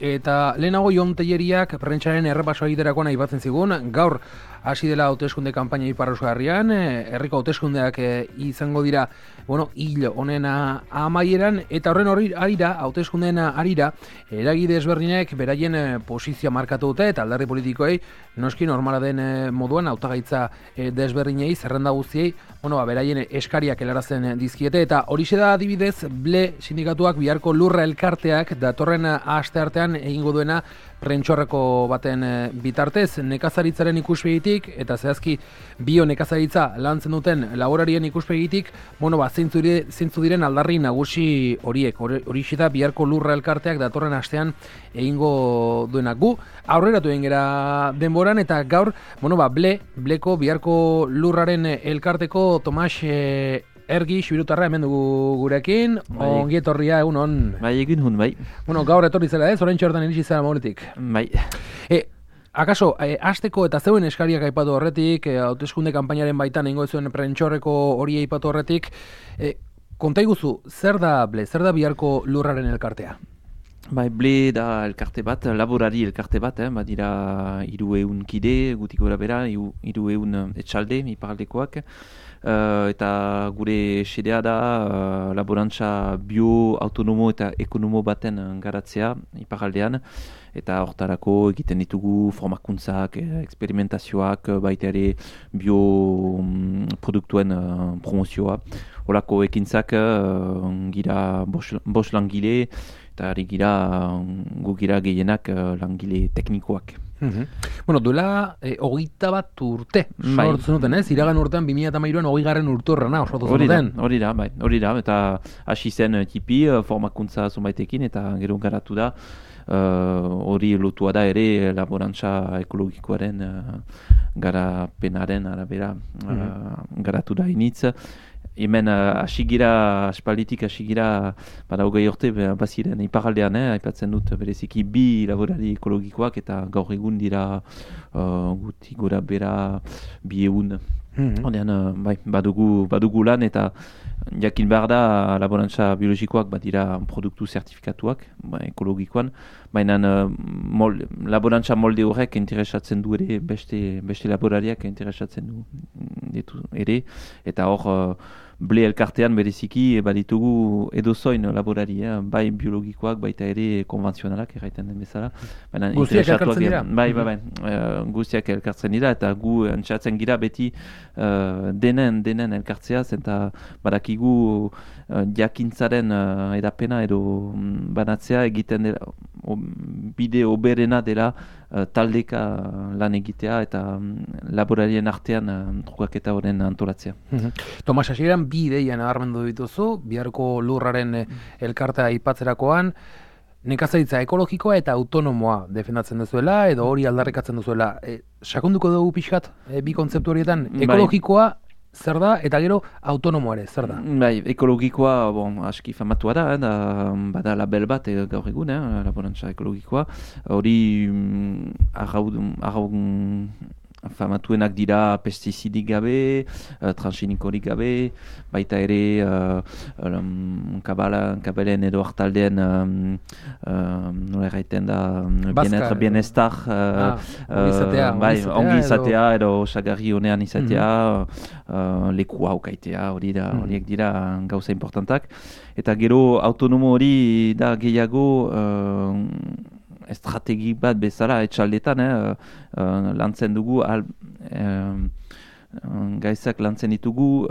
eta lehenago Jon Telleriak prentsaren errepasoa egiterakoan aipatzen zigun, gaur hasi dela hauteskunde kanpaina Ipar Euskal Herrian, herriko hauteskundeak izango dira, hil honen amaieran, eta horren arira, hauteskundeen arira, eragile ezberdinek beraien posizioa markatu dute, eta alderdi politikoei, noski normala den moduan, hautagaitza desberdinei, zerrenda guztiei, beraien eskariak helarazten dizkiete, eta horixe da adibidez, BLE sindikatuak biharko lurra elkarteak datorren asteartean egingo duena prentxorreko baten bitartez, nekazaritzaren ikuspegitik, eta zehazki bio nekazaritza lantzen duten laborarien ikuspegitik, zeintzu diren aldarri nagusi horiek, horixe da biharko lurra elkarteak datorren astean egingo duenak. Gu aurreratu egin gera denboran, eta gaur, BLEko biharko lurraren elkarteko Tomas Ergi, Xibirutarra hemen dugu gurekin, ongi etorria egunon. Bai, egin hun, bai. Gaur etorri zela orain txortan iritsi zara moretik. Bai. Akaso, hasteko eta zeuen eskariak aipatu horretik, hauteskunde kanpainaren baitan egingo zuen prentxorreko hori aipatu horretik, konta iguzu, zer da BLE, zer da biharko lurraren elkartea? Bai, BLE da elkarte bat, laborari elkarte bat, badira 300 kide, gutik gora bera, 300 etxalde, iparaldekoak, eta gure xedea da laborantza bio-autonomo eta ekonomo baten garatzea iparaldean, eta hortarako egiten ditugu formakuntzak, eksperimentazioak, baita ere bioproduktuen promozioa. Horako ekintzak gira 5 langile, eta gu gira gehienak langile teknikoak. Duela 21 urte sortzen duten, iragan urtean 2013an 20. urturrena osatu zuten. Hori da, eta hasi zen tipi formakuntza zonbaitekin, eta gero garatu da, hori lotua da ere laborantza ekologikoaren garapenaren arabera garatu da initz. Hemen aspalditik hasigira bada 20 urte baziren iparaldean, aipatzen dut bereziki 2 laborari ekologikoak, eta gaur egun dira guti gora bera 200. Badugu lan, eta jakin behar da laborantza biologikoak badira produktu zertifikatuak ekologikoan, baina laborantza molde horrek interesatzen du ere beste laborariak interesatzen ditu ere, eta hor BLE elkartean bereziki baditugu edozoin laborari, bai biologikoak, baita ere konvenzionalak erraiten den bezala. Guztiak elkartzen dira? Bai, guztiak elkartzen dira, eta gu entzatzen gira beti denen elkartzea, eta badakigu jakintzaren edapena edo banatzea egiten dela, bide oberena dela taldeka lan egitea eta laborarien artean trukaketa horren antolatzea. Tomas, hasieran 2 ideia nabarmendu dituzu, biharko lurraren elkartea aipatzerakoan, nekazaritza ekologikoa eta autonomoa defendatzen duzuela, edo hori aldarrikatzen duzuela. Sakonduko dugu pixkat, bi kontzeptu horietan, ekologikoa zer da, eta gero autonomoa ere, zer da? Bai, ekologikoa, aski famatua da, bada label bat gaur egun, laborantza ekologikoa. Hori famatuenak dira pestizidik gabe, transgenikorik gabe, baita ere kabelen edo hartaldeen nola erraiten da bienestar ongi izatea edo osagarri honean izatea, lekua ukaitea, horiek dira gauza importantak. Eta gero autonomo hori da gehiago estrategi bat bezala etxaldetan lantzen dugu, gaizak lantzen ditugu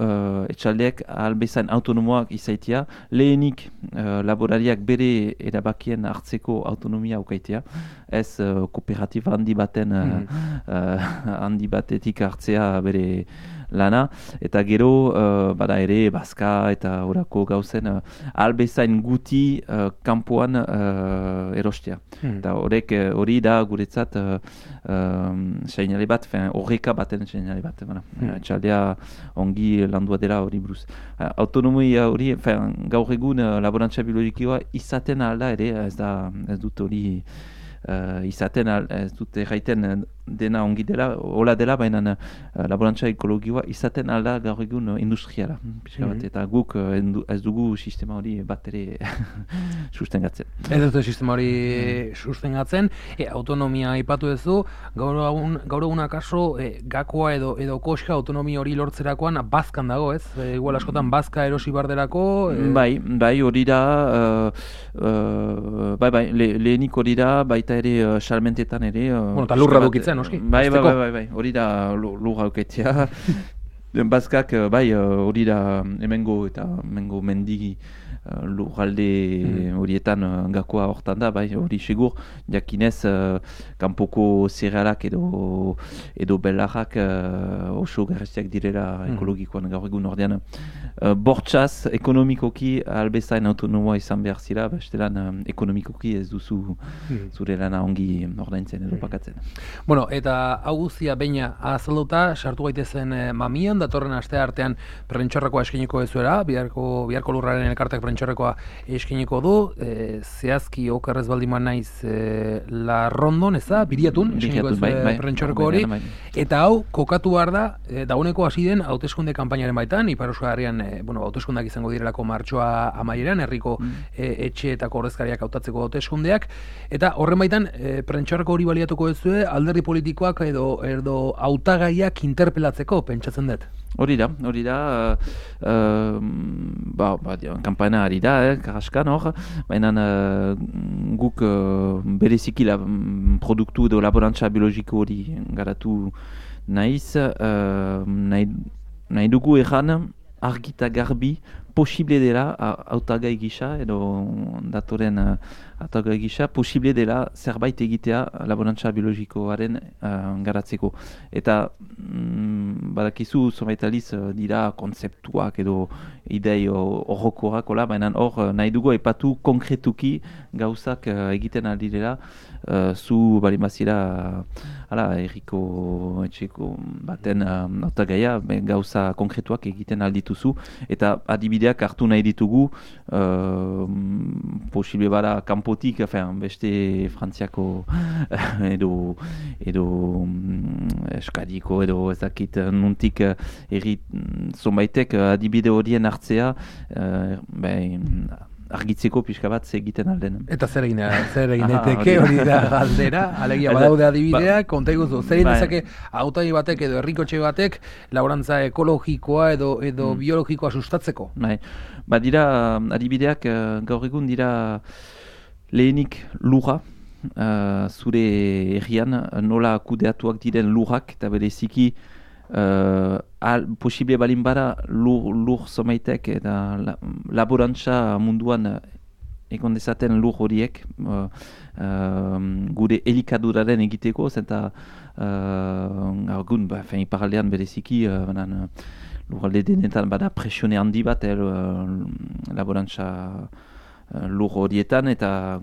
etxaldeak albezain autonomoak izaitia, lehenik laborariak bere erabakien hartzeko autonomia ukaitea, ez kooperatiba handi batetik hartzea bere lana, eta gero bada ere bazka eta horako gauzen albezain guti kanpoan erostea. Eta hori da guretzat seinale bat, horreka baten seinale bat. Txaldea ongi landua dela hori buruz. Autonomia hori, gaur egun laborantza biologikoa izaten alda ere, ez dut hori izaten, ez dut erraiten dena ongi dela, hola dela, baina laborantza ekologikoa izaten alda gaur egun industriala. Eta guk ez dugu sistema hori bat ere sustengatzen. Ez dute sistema hori sustengatzen, autonomia aipatu duzu, gaur egun akaso gakoa edo koska autonomia hori lortzerakoan bazkan dago, ez? Igual askotan bazka erosi bardelako? Bai, hori da, lehenik hori da, baita ere salmentetan ere. Eta lurra dukitzen, noski? Bai, hori da lurra dukitzea. Bazkak, hori da hemengo mendigi lurralde horietan gakoa hortan da, hori segur, jakinez kanpoko zerealak edo belarrak oso garestiak direla ekologikoan gaur egun ordean. Bortxaz, ekonomikoki albezain autonomoa izan behar zira, bestelan ekonomikoki ez duzu zure lana ongi ordaintzen edo pakatzen. Bueno, eta hau guztia baina azalduta, sartu gaitezen mamian, datorren aste artean prentxorrekoa eskiniko ezuera, biharko lurraren elkartek prentxorrekoa eskiniko du, zehazki okerrez baldiman naiz La Rondon, ez da, biriatun eskiniko ezue prentxorreko hori, eta hau kokatu behar da, dauneko hasi den hauteskunde kanpainaren baitan, Ipar Euskal Herrian hauteskundak izango direlako martxoa amaieran, herriko etxeetako ordezkariak hautatzeko hauteskundeak, eta horren baitan prentxorreko hori baliatuko ezue alderdi politikoak edo hautagaiak interpelatzeko, pentsatzen dut. Hori da, kanpaina ari da, karaskan hor, baina guk bereziki produktu edo laborantza biologiko hori garatu nahiz, nahi dugu erran argita garbi posible dela hautagai gisa edo datoren hautagai gisa posible dela zerbait egitea laborantza biologikoaren garatzeko. Eta badakizu zomaitaliz dira kontzeptuak edo idei horrokoak, baina hor nahi dugu aipatu konkretuki gauzak egiten aldirela zu balimazira erriko etxeko baten hautagaia gauza konkretuak egiten aldituzu eta adibideak hartu nahi ditugu posible bada kanpotik, beste Frantziako edo Eskadiko edo ezakit nuntik erri zonbaitek adibide horien hartzea argitzeko pixka bat egiten alden. Eta zer egin daiteke hori da galdera, alegia badaude adibideak, konta iguzu, zer egin dezake hautagai batek edo herrikotxe batek laborantza ekologikoa edo biologikoa sustatzeko? Dira adibideak gaur egun dira lehenik lurra, zure herrian nola kudeatuak diren lurrak eta bereziki posible balin bada lur somaitek eta laborantza munduan egon dezaten lur horiek gure elikaduraren egiteko eta iparaldean bereziki lurralde denetan bada presione handi bat laborantza lur horietan eta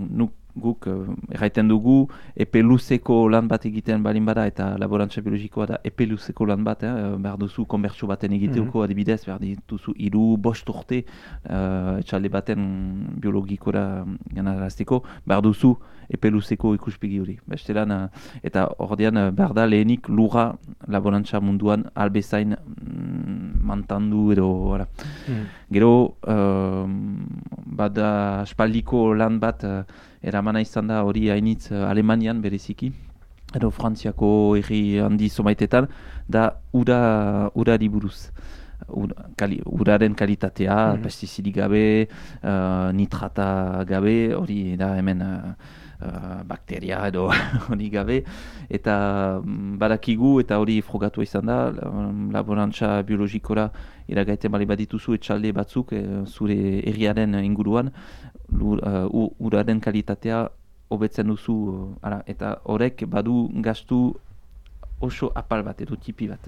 guk erraiten dugu epe luzeko lan bat egiten balin bada eta laborantza biologikoa da epe luzeko lan bat, behar duzu konbertsio baten egiteko adibidez, behar dituzu 3-5 urte etxalde baten biologikora ganarazteko, behar duzu epe luzeko ikuspegi hori. Bestelan, eta ordean behar da lehenik lurra laborantza munduan albezain mantandu edo gero bada aspaldiko lan bat eramana izan da hori hainitz Alemanian bereziki edo Frantziako herri handi zomaitetan da urari buruz. Uraren kalitatea, pestizidik gabe, nitrata gabe, hori da hemen bakteria edo hori gabe, eta badakigu eta hori frogatu izan da, laborantza biologikora iragaiten bali badituzu etxalde batzuk zure herriaren inguruan, uraren kalitatea hobetzen duzu, eta horrek badu gastu oso apal bat edo tipi bat.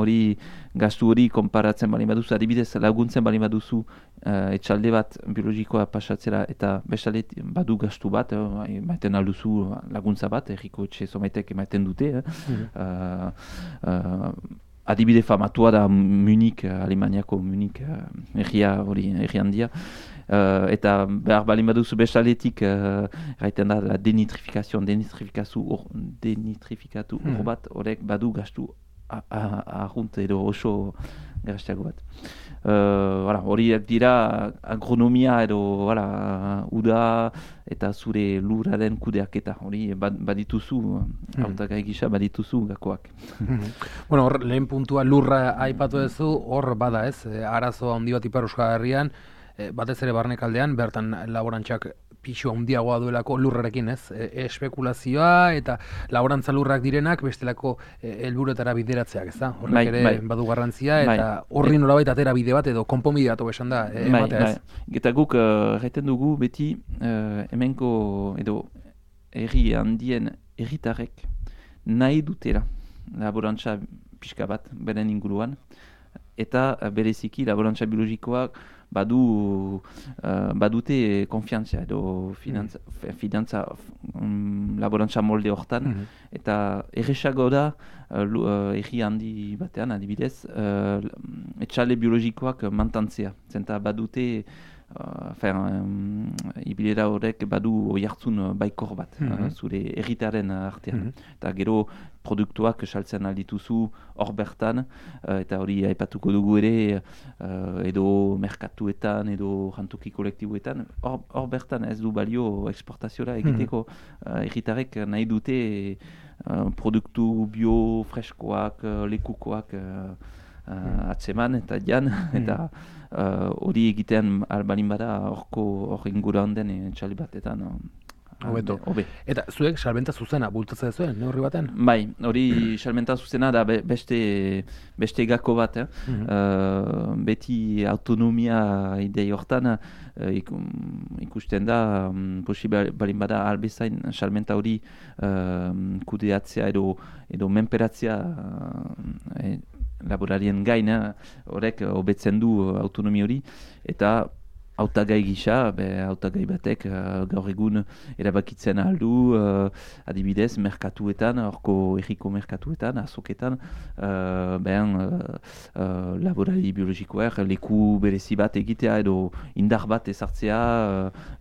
Hori gastu hori konparatzen bali baduzu, adibidez laguntzen bali baduzu etxalde bat biologikoa pasatzera eta bestalde badu gastu bat, maiten alduzu laguntza bat, herriko etxe somaitek emaiten dute. Adibide famatua da Munich, Alemaniako Munich herria hori herri handia. Eta behar balin baduzu bestaletik gaiten da la denitrifikatu ur bat, horrek badu gastu arrunt edo oso garastiago bat. Horiek dira agronomia edo uda eta zure lurraren kudeaketa. Hori badituzu, hautagai gisa badituzu gakoak. Hor lehen puntua lurra aipatu duzu, hor bada ez, arazo handi bat Ipar Euskal Herrian, batez ere barnekaldean, bertan laborantzak pixu handiagoa duelako lurrarekin, ez? Espekulazioa eta laborantza lurrak direnak bestelako helburuetara bideratzeak, ez da? Horrek ere badu garrantzia eta horri nolabait atera bide bat edo konponbide bat esan da ematea, ez? Eta guk erraiten dugu beti hemenko edo herri handien herritarrek nahi dutela laborantza pixka bat beren inguruan eta bereziki laborantza biologikoak badute konfiantzia edo finantza laborantza molde hortan eta erresago da erri handi batean adibidez etxale biologikoak mantantzea zenta badute ibilera horrek badu oihartzun baikor bat zure erritaren artean eta gero produktuak saltzen aldituzu hor bertan eta hori aipatuko dugu ere edo merkatuetan edo jantoki kolektiboetan hor bertan ez du balio eksportazioa egiteko erritarek nahi dute produktu bio freskoak lekukoak atzeman eta jan eta hori egitean albalin bada hor inguruan den txali batetan hobe. Eta zuek salmenta zuzena bultatzen zuen, neurri baten? Bai, hori salmenta zuzena da beste gako bat. Beti autonomia idei hortan ikusten da posible balin bada albezain salmenta hori kudeatzea edo menperatzea laborarien gain, horrek hobetzen du autonomia hori eta hautagai gisa, hautagai batek gaur egun erabakitzen aldu adibidez merkatuetan, horko erriko merkatuetan, azoketan laborari biologikoak leku berezi bat egitea edo indar bat ezartzea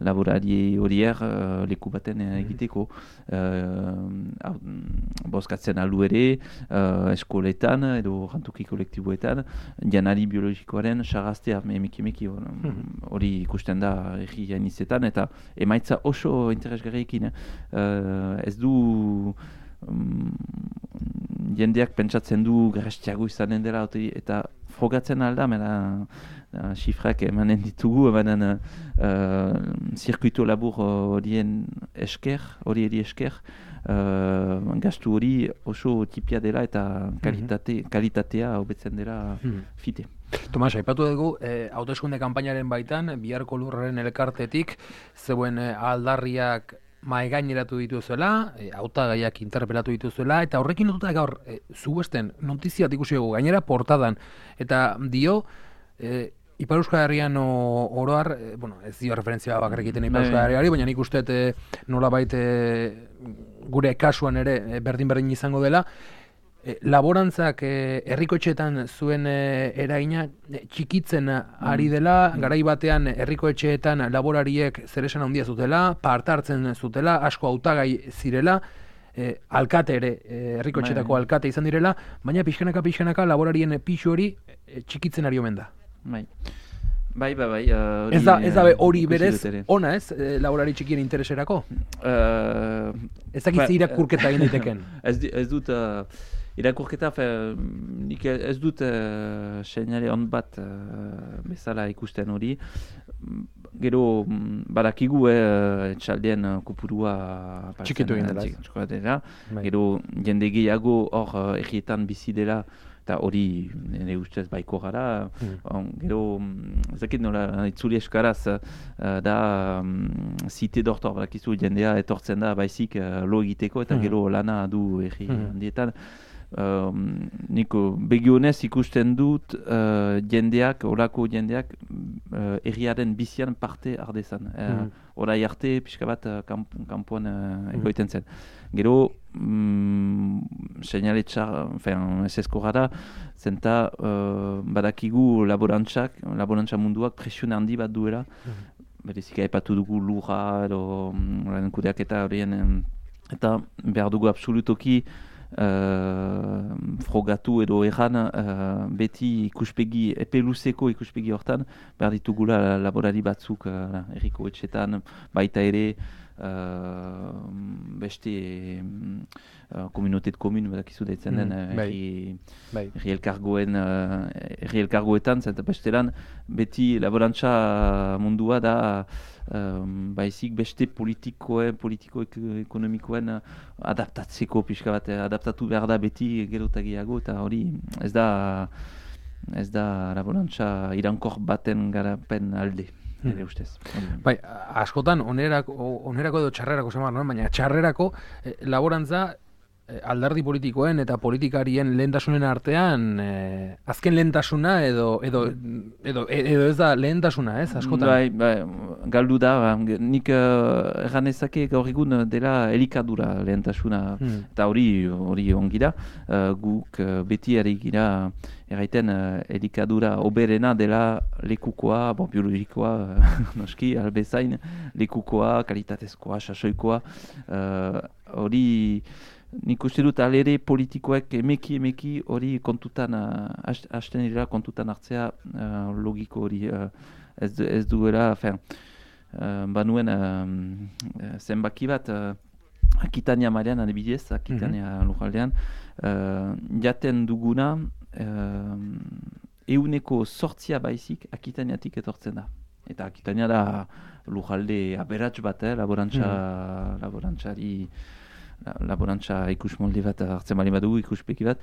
laborari horiek leku baten egiteko bozkatzen aldu ere eskoletan edo jantoki kolektiboetan janari biologikoaren sarraztea emiki hori ikusten da erri inizetan eta emaitza oso interesgarriekin. Ez du jendeak pentsatzen du garestiago izanen dela eta frogatzen alda, xifrak emanen ditugu, zirkuito labur horien esker, gastu hori oso tipia dela eta kalitatea hobetzen dela fite. Tomas, aipatu dugu, hauteskunde kanpainaren baitan, biharko lurraren elkartetik, zeuen aldarriak maigaineratu dituzuela, hautagaiak interpelatu dituzuela, eta horrekin lotuta gaur, zuesten notiziat ikusi dugu, gainera portadan, eta dio, Ipar Euskal Herrian oroar, ez dio referentzia bakarrik egiten Ipar Euskal Herriari, baina nik uste nolabait gure kasuan ere berdin izango dela, laborantzak herrikoetxeetan zuen eragina txikitzen ari dela, garai batean herrikoetxeetan laborariek zeresan handia zutela, parte hartzen zutela, asko hautagai zirela, alkate ere, herrikoetxeetako alkate izan direla, baina pixkanaka laborarien pixu hori txikitzen ari omen da. Bai. Ez da hori berez, ona ez, laborari txikien intereserako? Ez dakitze irakurketa egin diteken? Ez dut irakurketa, nik ez dut seinale on bat bezala ikusten hori. Gero badakigu etxaldeen kopurua txikitu egin dela. Gero jende gehiago hor errietan bizi dela eta hori nire ustez baiko gara. Gero, ezakit nola itzuli eskaraz da zite dortor, badakizu jendea etortzen da baizik lo egiteko eta gero lana du erri handietan. Niko begionez ikusten dut olako jendeak erriaren bizian parte ardezan. Orai arte pixka bat kanpoan egoiten zen. Gero seinaletxar, ezezko gara, zenta badakigu laborantza munduak presione handi bat duela berezik aipatu dugu lurra edo kudeaketa horien, eta behar dugu absolutoki frogatu edo erran beti ikuspegi, epe luzeko ikuspegi hortan, behar ditugula laborari batzuk herriko etxetan, baita ere beste komunotet komun badakizu deitzen den herri elkargoetan, zenta bestelan beti laborantza mundua da baizik beste politiko-ekonomikoen adaptatzeko pixka bat, adaptatu behar da beti gero eta gehiago, eta hori ez da laborantza irankor baten garapen alde. Bai, askotan onerako edo txarrerako baina txarrerako laborantza alderdi politikoen eta politikarien lehentasunen artean azken lehentasuna edo ez da lehentasuna, ez, askotan? Bai, galdu da, nik erran ezake gaur egun dela elikadura lehentasuna, eta hori ongi da, guk beti ari gira erraiten elikadura oberena dela lekukoa, biologikoa, noski, albezain, lekukoa, kalitatezkoa, sasoikoa, hori nik uste dut alere politikoek emeki hori kontutan, hasten dira kontutan hartzea logiko hori ez duela, banuen zenbaki bat, Akitania mailean adibidez, Akitania lujaldean, jaten duguna, 100% baizik Akitaniatik etortzen da. Eta Akitania da lujalde aberats bat, laborantza ikus molde bat hartzen bali badugu, ikuspeki bat,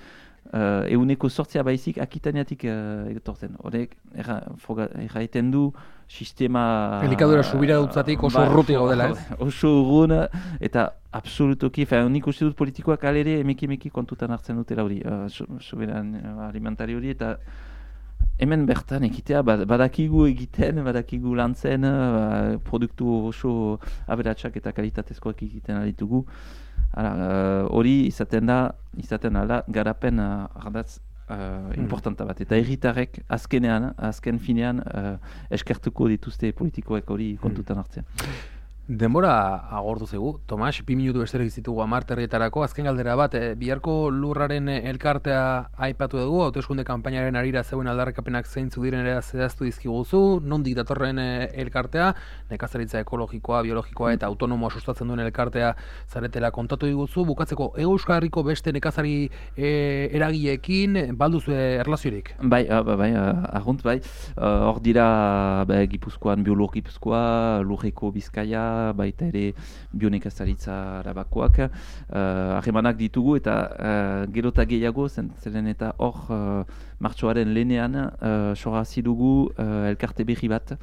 100% baizik Akitaniatik etortzen. Horrek, erraiten du sistema... Elikadura subira dutzatik oso urruti gaudela, ez? Oso urrun, eta absolutoki, nik uste dut politikoak alere emeki kontutan hartzen dutela hori, soberan alimentari hori, eta hemen bertan egitea, badakigu egiten, badakigu lantzen, produktu oso aberatsak eta kalitatezkoak egiten aditugu. Hori izaten da garapen ardatz importanta bat. Eta herritarrek azken finean eskertuko dituzte politikoek hori kontutan hartzen. Denbora agortu zegu, Tomas, 2 minutu besterik zitugu 10 terrietarako, azken galdera bat, biharko lurraren elkartea aipatu dugu, hauteskunde kanpainaren arira zeuen aldarrikapenak zeintzuk diren ere zehaztu dizkiguzu, nondik datorren elkartea, nekazaritza ekologikoa, biologikoa eta autonomoa sustatzen duen elkartea zaretela kontatu diguzu, bukatzeko Euskal Herriko beste nekazari eragileekin balduzu erlaziorik? Bai, argunt bai, hor dira Gipuzkoan Gipuzkoa, Lurreko Bizkaia, baita ere bionekazaritza arabakoak harremanak ditugu, eta gero eta gehiago zeren eta hor martxoaren lehenean sorrazi dugu elkarte berri bat,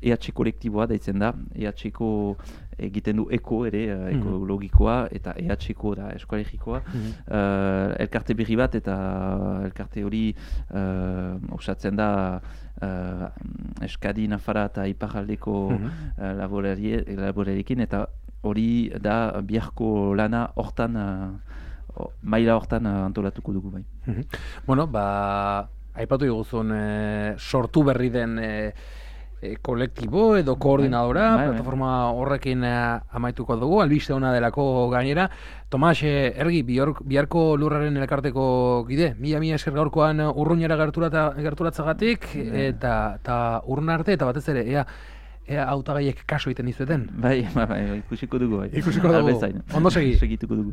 EH kolektiboa daitzen da, EH-ko egiten du eko ere, ekologikoa, eta EH-ko da eskolegikoa, elkarte berri bat, eta elkarte hori osatzen da Eskadi, Nafara eta Iparraldeko laborariekin, eta hori da biharko lana hortan, maila hortan antolatuko dugu bai. Bueno, aipatu diguzun sortu berri den kolektibo edo koordinadora, plataforma horrekin amaituko dugu, albiste ona delako gainera. Tomas, Ergi, biharko lurraren elkarteko gide, mila esker gaurkoan urruñera gerturatzagatik, eta urrun arte, eta batez ere, ea hautagaiek kaso egiten dizueten. Bai, ikusiko dugu. Ondo segi. Segituko dugu.